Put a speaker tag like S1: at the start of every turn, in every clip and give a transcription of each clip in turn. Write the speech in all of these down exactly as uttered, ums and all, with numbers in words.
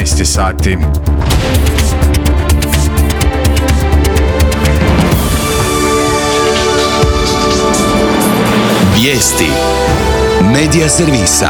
S1: trinaest je sati.
S2: Vijesti Medija servisa.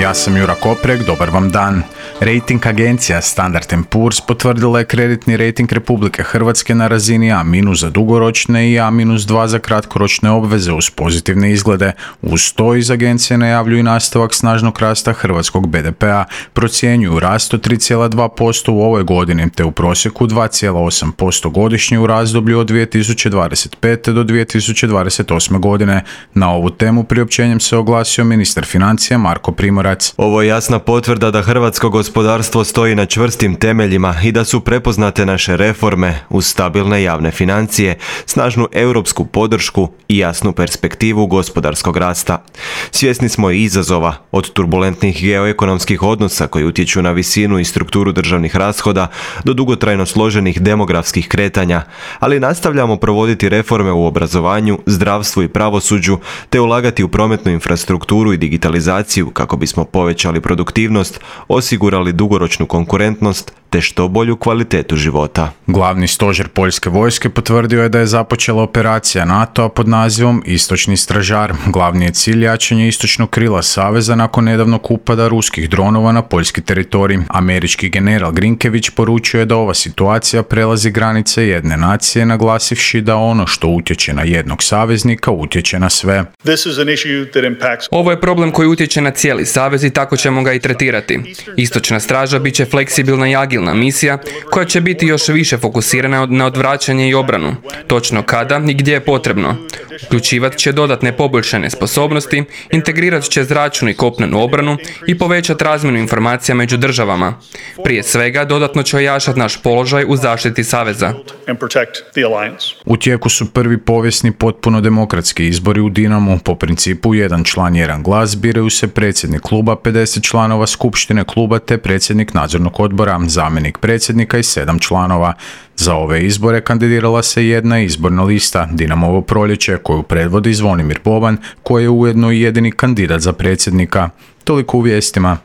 S1: Ja sam Jura Koprek, dobar vam dan. Rating agencija Standard and Poor's potvrdila je kreditni rating Republike Hrvatske na razini A- za dugoročne i A dva za kratkoročne obveze uz pozitivne izglede. Uz to iz agencije najavljuju nastavak snažnog rasta hrvatskog be de pea, procjenjuju rast od tri zarez dva posto u ovoj godini te u prosjeku dva zarez osam posto godišnje u razdoblju od dvije tisuće dvadeset pete do dvije tisuće dvadeset osme godine. Na ovu temu priopćenjem se oglasio ministar financija Marko Primorac.
S3: Ovo je jasna potvrda da hrvatsko gospodarstvo stoji na čvrstim temeljima i da su prepoznate naše reforme uz stabilne javne financije, snažnu europsku podršku i jasnu perspektivu gospodarskog rasta. Svjesni smo i izazova, od turbulentnih geoekonomskih odnosa koji utječu na visinu i strukturu državnih rashoda do dugotrajno složenih demografskih kretanja, ali nastavljamo provoditi reforme u obrazovanju, zdravstvu i pravosuđu te ulagati u prometnu infrastrukturu i digitalizaciju kako bismo povećali produktivnost, osigurali dugoročnu konkurentnost te što bolju kvalitetu života.
S1: Glavni stožer poljske vojske potvrdio je da je započela operacija NATO-a pod nazivom Istočni stražar. Glavni je cilj jačanje istočnog krila saveza nakon nedavnog upada ruskih dronova na poljski teritorij. Američki general Grinkević poručuje da ova situacija prelazi granice jedne nacije, naglasivši da ono što utječe na jednog saveznika utječe na sve.
S4: Ovo je problem koji utječe na cijeli savez i tako ćemo ga i tretirati. Istočna straža bit će fleksibilna i agilna misija koja će biti još više fokusirana na odvraćanje i obranu, točno kada i gdje je potrebno. Uključivat će dodatne poboljšane sposobnosti, integrirat će zračnu i kopnenu obranu i povećati razmjenu informacija među državama. Prije svega, dodatno će ojačati naš položaj u zaštiti saveza.
S1: U tijeku su prvi povijesni potpuno demokratski izbori u Dinamu. Po principu jedan član, jedan glas, biraju se predsjednik kluba, pedeset članova skupštine kluba te predsjednik nadzornog odbora, zamjenik predsjednika i sedam članova. Za ove izbore kandidirala se jedna izborna lista, Dinamovo proljeće, koju predvodi Zvonimir Boban, koji je ujedno i jedini kandidat za predsjednika. Toliko u vijestima.